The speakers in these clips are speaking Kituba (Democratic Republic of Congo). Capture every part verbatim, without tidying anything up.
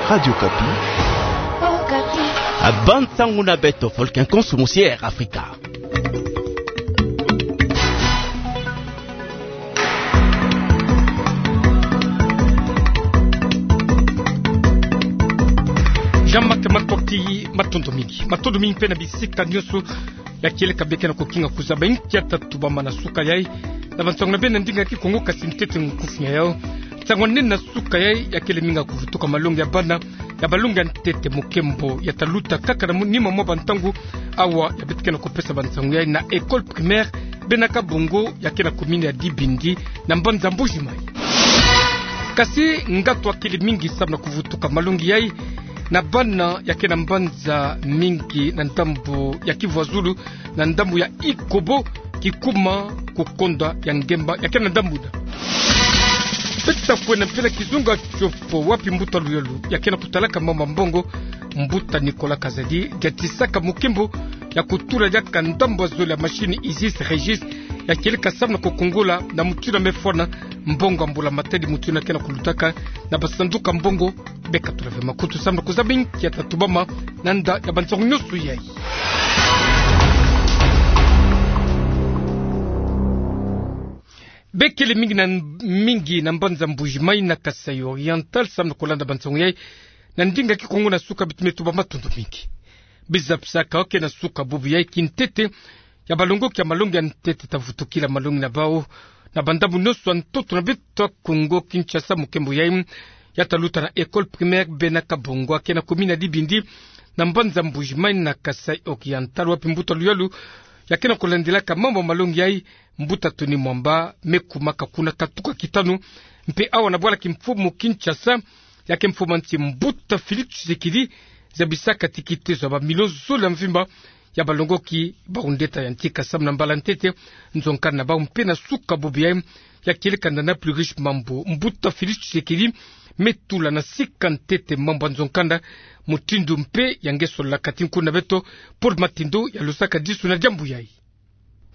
Radio Okapi. Okapi. Bande sango na beto, Volcan Konso, Musier Afrika. Jean-Marc Matokti, matondo mingi. Matondo mingi mpe na bisika nyonso ya kieleka bie ke na kukinga kuzaba inki ya ta tubama na suka yai. Na bansango na beno na ndinga ya Kikongo, kasi ntete nkufi ya yau. Nsangu nene na suka yai ya kele mingi ya kuvutuka malongi ya bana ya balongi ya ntete mu nkembo ya ta luta kaka na mu-, nima mwa bantangu awa ya beto ke na kupesa bansangu yai na école primaire Bena Kabongo ya ke na commune ya Dibindi na mbanza Mbuji-Mayi. Kasi ngatu akili mingi samu na kuvutuka malongi yai na bana ya ke na mbanza mingi na ndambu ya Kivu ya Zulu, na ndambu ya Ikobo, Kikuma, Kukonda ya Ngemba ya ke na ndambu na. Beto ta kwenda mpe na kizunga kiopo, wapi mbuta Luyalu ya ke na kutalaka mambu ya mbongo, mbuta Nicolas Kazadi, ya tisaka mu nkembo ya kutula diaka ndambu ya zole ya machine Isis Régis, ya kieleka samu na kukungula na mutindu ya me fwana mbongo ya Mbula Matadi, mutindu ya ke na kulutaka na basanduku ya mbongo. Beka tula ve makutu samu na kuzaba inki ya ta tubama na nda ya bansangu nyonso yai. Beno kele mingi na mingi na mbanza Mbuji-Mayi na Kasaï Oriental samu na kulanda bansangu yai na ndinga ya Kikongo na suka, beto me tuba matondo mingi. Biza pisaka oke na suka bubu yai, kintete ya balongoki ya malongi ya ntete ta vutukila malongi na bau na bandambu nyonso ya ntoto na beto ya Kongo Kinshasa. Mu nkembo yai ya ta luta na école primaire Bena Kabongo ya ke na commune ya Dibindi na mbanza Mbuji-Mayi na Kasaï Oriental, wapi mbuta Luyalu ya ke na kulandilaka mambu ya malongi yai, mbuta Tony Mwamba, me kumaka kuna katuka kitanu. Mpe awa na bwala kimfumu Kinshasa, ya ke mfumu ya nsi, mbuta Félix Tshisekedi, zabisaka ti kitezo ya bamilio zole ya mvimba ya balongoki bau ndeta ya ntika samu na mbala ntete nzo nkanda na bau. Mpe na suka bubu yai ya kieleka na Plus Riche Mambu, mbuta Félix Tshisekedi me tula na sika ntete mambu ya nzo nkanda, mutindu mpe ya nge sololaka. Ti nkuna beto Paul Matindo ya losaka disu na diambu yai.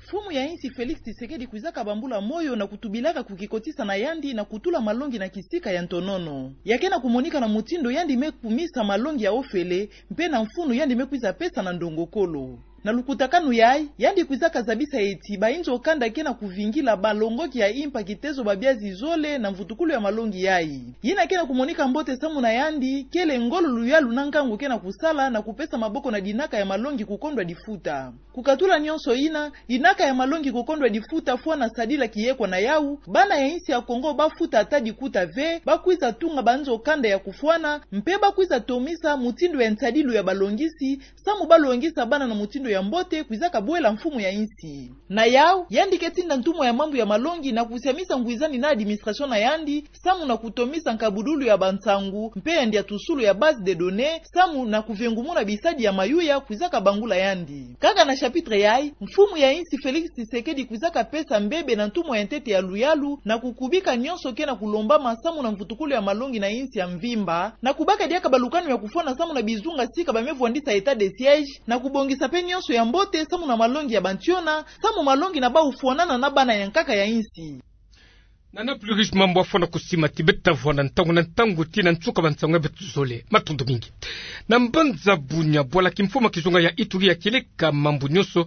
Mfumu ya insi Félix Tshisekedi kwizaka bambula moyo na kutubilaka kukikotisa na yandi na kutula malongi na kisika ya ntonono. Ya ke na kumonika na mutindu yandi me kumisa malongi ya ofele, mpe na mfunu yandi me kwiza pesa na ndongokolo. Na lukutakanu yai, yandi kwizaka zabisa ti ba inzo kanda ke na kuvingila balongoki ya impa kitezo babia zizole na mvutukulu ya malongi yai. Yina ke na kumonika mbote samu na yandi, kele ngolo, luyalu na nkangu ke na kusala na kupesa maboko na dinaka ya malongi kukondwa difuta. Kukatula nyonso yina, dinaka ya malongi kukondwa difuta fwana sadila kiyekwa na yau, bana ya insi ya Kongo ba futa ata dikuta ve, ba kwiza tunga ba nzo kanda ya kufwana, mpe ba kwiza tomisa mutindu ya nsadilu ya balongisi, samu ba longisa bana na mutindu ya mbote, kwizaka bwela mfumu ya insi. Na yau, yandi ke tinda ntumwa ya mambu ya malongi na kusiamisa ngwizani na administration na yandi, samu na kutomisa nkabudulu ya bansangu, mpe ya ndiatusulu ya base de données, samu na kuvengumuna bisadi ya mayuya kwizaka bangula yandi. Kaka na chapitre yai, mfumu ya insi Félix Tshisekedi kwizaka pesa mbebe na ntumwa ya ntete ya luyalu, na kukubika nyonso ke na kulombama samu na mvutukulu ya malongi na insi ya mvimba, na kubaka diaka balukanu ya kufwana samu na bizunga sika ba me vwandisa état de siège, na kubongisa mpe nyonso ya mbote samu na malongi ya bantiona, samu malongi na bau fwanana na bana ya nkaka ya insi. Na na Plus Riche Mambu afwana kusima ti beto ta vwanda ntangu na ntangu ti na nsuka bansangu ya beto zole. Matondo mingi. Na mbanza Bunia, bwala kimfumu ya kizunga ya Ituri ya kieleka mambu nyonso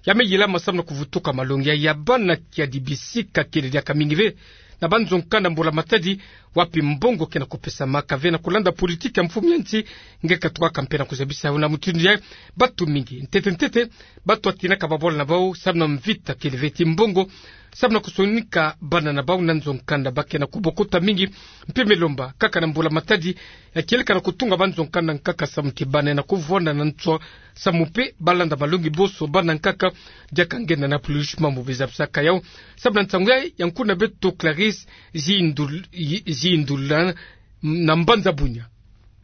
ya me yilama samu na kuvutuka malongi ya, ya bana kiadi bisika kele diaka mingi ve na ba nzo nkanda Mbula Matadi, wapi mbongo ke na kupesamaka ve na kulanda politiki ya mfumu ya nsi. Nge katukaka mpe na kuzabisa na mutindu yai, batu mingi, ntete ntete, batu atinaka babwala na bau samu na mvita kele ve ti mbongo, samu na kusonika bana na bau na nzo nkanda ba ke na kubokota mingi. Mpe me lomba kaka na Mbula Matadi ya kieleka na kutunga ba nzo nkanda nkaka samu ti bana na kuvwanda na nswa, samu mpe ba landa malongi boso bana nkaka. Diaka nge na na Plus Riche Mambu biza pisaka yau samu na nsangu yai, ya nkuna beto Clarisse Zindul-, Zindula na mbanza Bunia.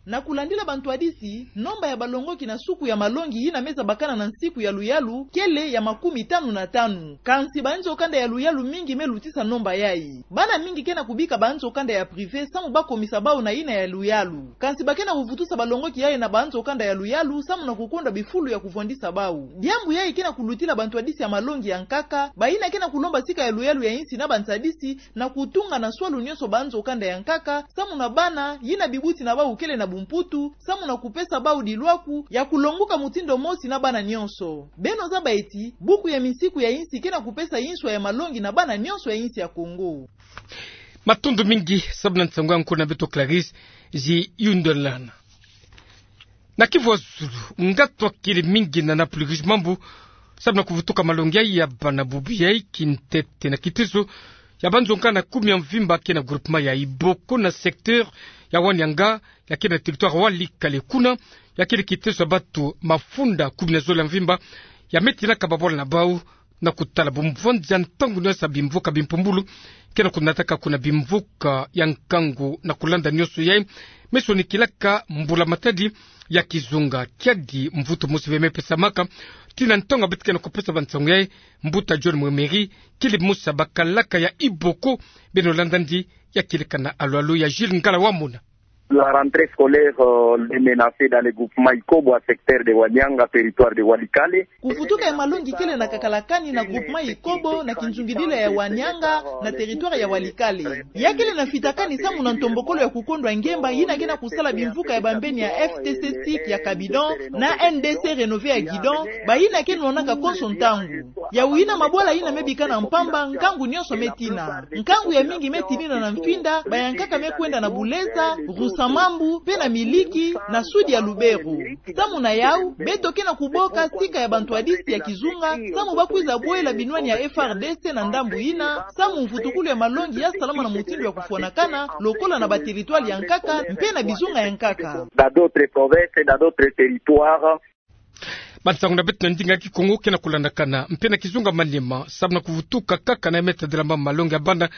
Na kulandila bantwadisi, nomba ya balongoki na suku ya malongi yina me zabakana na nsiku ya luyalu kele ya makumi tanu na tanu. Kansi ba nzo kanda ya luyalu mingi me lutisa nomba yai. Bana mingi ke na kubika ba nzo kanda ya privé samu ba komisa bau na yina ya luyalu. Kansi ba ke na kuvutusa balongoki yai na ba nzo kanda ya luyalu samu na kukondwa bifulu ya kuvwandisa bau. Diambu yai ke na kulutila bantwadisi ya malongi ya nkaka, ba yina ke na kulomba sika ya luyalu ya insi na bantwadisi, na kutunga na swalu nyonso ba nzo kanda ya nkaka, samu na bana, yina bibuti na bau kele na ku Mputu, samu na kupesa bau dilwaku ya kulonguka mutindu mosi na bana nyonso. Beno zaba eti, buku ya misiku ya insi ke na kupesa inswa ya malongi na bana nyonso ya insi ya Kongo. Matondo mingi, samu na nsangu ya nkuna beto Clarisse Ziyundelana. Na Kivu ya Zulu, ngatu akili mingi na na pluguiche mambu, samu na kuvutuka malongi ya bana bubu ya kintete na kitezo ya banzonkanda kumi ya mvimba ke na groupement ya Iboko na secteur ya Wanianga, ya ke na territoire Walikale. Kuna, ya kele kitezo ya batu mafunda kumi na zole ya mvimba ya me tinaka babwala na bau na kutala bumvwanzi ya ntangu nyonso ya bimvuka bimpumbulu ke na kunataka kuna bimvuka ya nkangu. Na kulanda nyonso yayi, me sonikilaka mbula matadi ya kizunga, kiadi mvutu mosi ve me pesamaka tii na ntangu ya beto ke na kupesa bansangu yayi. Mbuta John Mwemeri, kele mosi ya bakalaka ya Iboko. Beno landa ndi ya kele kana alwalu ya Jules Ngala Wamona. La rentrée scolaire, euh, est menacée dans le groupement Ikobo, à secteur de Wanianga, territoire de Walikale. Kuvutuka ya malongi kele na kakalakani na groupement Ikobo, na kinzungidila ya Wanianga, na territoire ya Walikale. Ya kele na fitakani samu na ntombokolo ya kukondwa ngemba yina ke na kusala bimvuka ya bambeni ya F T C SIC ya Kabidon na N D C Renové ya Guidon, bayina ke nwanaka konso ntangu. Yawu yina mabwala yina me bikana mpamba, nkangu nyonso me tina. Nkangu ya mingi me tinina na Mfinda, bayankaka me kwenda na Buleza, Rusamambu, pe na Miliki, na sud ya Lubero. Samu na yawu, beto ke na kuboka sika ya bantwadisi ya kizunga, samu ba kwiza bwela binwani ya F R D C na ndambu yina, samu mvutukulu ya malongi ya salama na mutindu ya kufwanakana, lokola na bateritware ya nkaka, mpe na bizunga ya nkaka. Dans d'autres provinces, dans d'autres territoires. Bansangu na beto na ndinga ya Kikongo ke na kulandakana mpe na kizunga Maniema, samu na kuvutuka kaka na ya me tadila mambu malongi ya bana.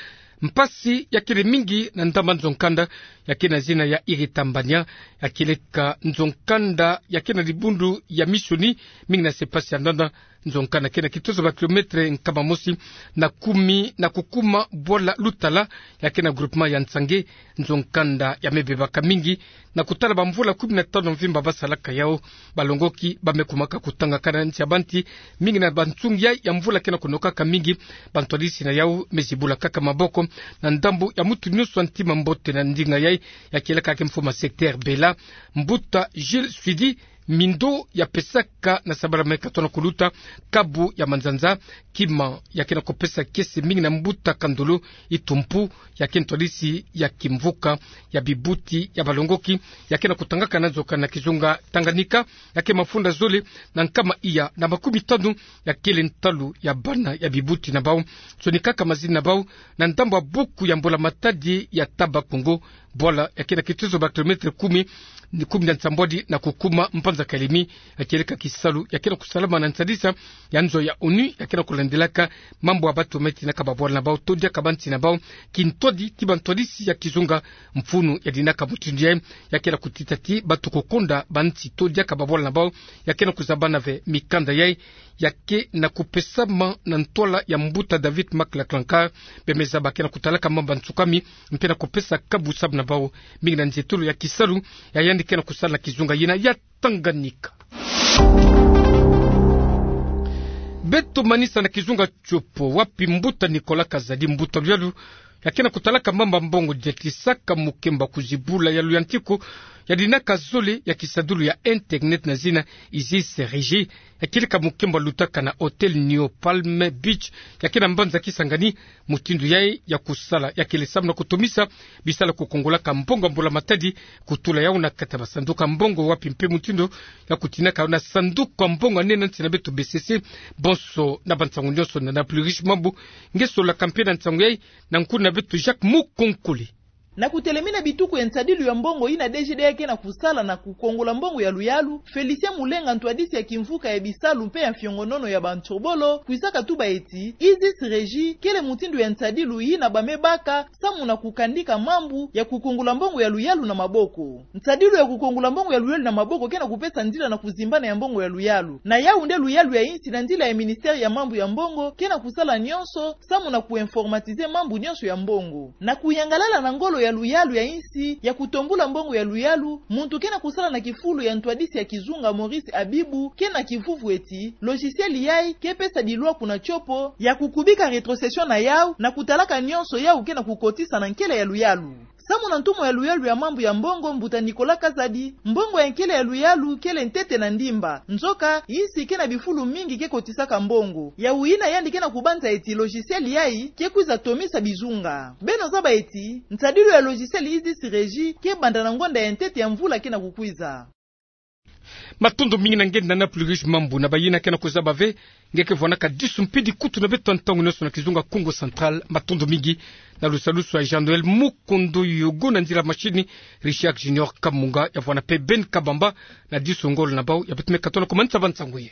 Mpasi ya kele mingi na ndambu ya nzo-nkanda ya ke na zina ya Iritambania, ya keleka nzo-nkanda ya ke na dibundu ya Misioni, mingi na se mpasi ya ndanda. Nzo-nkanda ke na kitozo ba kilometre nkama mosi na kumi na kukuma bwala Lutala, ya ke na groupement ya Nsange. Nzo-nkanda ya me bebaka mingi na kutala bamvula kumi na tanu mvimba ba salaka yawu. Balongoki ba me kumaka kutangakana nsi ya banti, mingi na bansungi ya mvula ke na kunokaka mingi. Bantwadisi na yawu me zibula kaka maboko na ndambu ya mutu nyonso ya ntima mbote na ndinga yayi, ya keleka ke mfumu ya secteur Bela, mbuta Jules Suidi Mindo, ya pesaka na sabala me katono kuluta kabu ya manzanza, kima ya ke na kupesa kiese mingi na mbuta Kandolo Itumpu, ya ke ntwadisi ya kimvuka ya bibuti ya balongoki, ya ke na kutangakana nzo-nkanda na kizunga Tanganyika, ya ke mafunda zole na nkama iya na makumi tanu, ya kele ntalu ya bana ya bibuti na bau. Sonikaka mazina na bau na ndambu ya buku ya mbula matadi ya Taba Kongo, bwala ya ke na kitozo ba kilometre kumi, ni kumi na nsambwadi na kukuma mpanza Kalemi. Ya keleka kisalu ya ke na kusalama na nsadisa ya nzo ya ONU, ya ke na kulandilaka mambu ya batu me tinaka babwala na bau to diaka bansi na bau. Kintwadi ti bantwadisi ya kizunga, mfunu ya dinaka mutindu yayi ya ke na kutita ti batu kukonda bansi to diaka babwala na bau. Ya ke na kuzabana ve mikanda yayi ya ke na kupesama na ntwala ya mbuta David Maklaklankar. Bemeza ba ke na kutalaka mambu ya nsukami mpe na kupesa kabu samu na bau, mingi na nzietolo ya kisalu ya yandi ke na kusala na kizunga yina ya Tanganyika. Beto manisa na kizunga Tshopo, wapi mbuta Nicolas Kazadi, mbuta luyalu ya ke na kutalaka mambu ya mbongo, diatisaka mukembo ya kuzibula ya luyantiku ya dinaka zole ya kisadulu ya internet na zina Isis Régie, ya keleka mukembo ya lutaka na hôtel Neo Palm Beach, ya ke na mbanza Kisangani. Mutindu yayi ya kusala ya kele samu na kutomisa bisalu ya kukongolaka mbongo ya mbula matadi, kutula yawu na kati ya basanduku ya mbongo, wapi mpe mutindu ya kutinaka yawu na sanduku ya mbongo ya nene nsi na beto B C C. Bonso na bansangu nyonso na na pluguiche mambu, nge solaka mpe na nsangu yayi na nkuna beto Jacques Mukonkole. Na kutelemina bituku ya nsadilu ya mbongo yina D G D ya ke na kusala na kukongola mbongo ya luyalu, Félicien Mulenga, ntwadisi ya kimvuka ya bisalu mpe ya mfiongonono ya bantsobolo, kwisaka tuba eti Isis Régie kele mutindu ya nsadilu yina ba me baka samu na kukandika mambu ya kukongola mbongo ya luyalu na maboko. Nsadilu ya kukongola mbongo ya luyalu na maboko ke na kupesa nzila na kuzimbana ya mbongo ya luyalu. Na yawu nde luyalu ya insi na nzila ya ministère ya mambu ya mbongo ke na kusala nyonso samu na kuinformatiser mambu nyonso ya mbongo. Na kuyangalala na ngolo ya luyalu ya insi ya kutombula mbongo ya luyalu, muntu ke na kusala na kifulu ya ntwadisi ya kizunga Maurice Abibou ke na kivuvu eti logiciel yayi ke pesa dilwaku na Tshopo ya kukubika rétrocession na yawu na kutalaka nyonso yawu ke na kukotisa na nkele ya luyalu. Samu na ntumwa ya luyalu ya mambu ya mbongo, mbuta Nicolas Kazadi, mbongo ya nkele ya luyalu kele ntete na ndimba. Nzoka, yinsi ke na bifulu mingi ke kotisaka mbongo. Yawu yina yandi ke na kubanza eti logiciel yayi ke kwiza tomisa bizunga. Beno zaba eti, nsadilu ya logiciel Isis Régie ke banda na ngonda ya ntete ya mvula ke na kukwiza. Matondo mingi na nge Nana Plurish Mambu. Na bayina ke na kuzaba ve, nge ke vwanaka disu mpidi kutu na beto ntangu-nionso na kizunga Kongo Central. Matondo mingi. Na lusalusu ya Jean Noël Mukundu Yogo, na nzila machine Richard Junior Kamunga, ya vwana pe Ben Kabamba na disu ngolo na bau ya beto me katono kumanisa ba nsangu ye.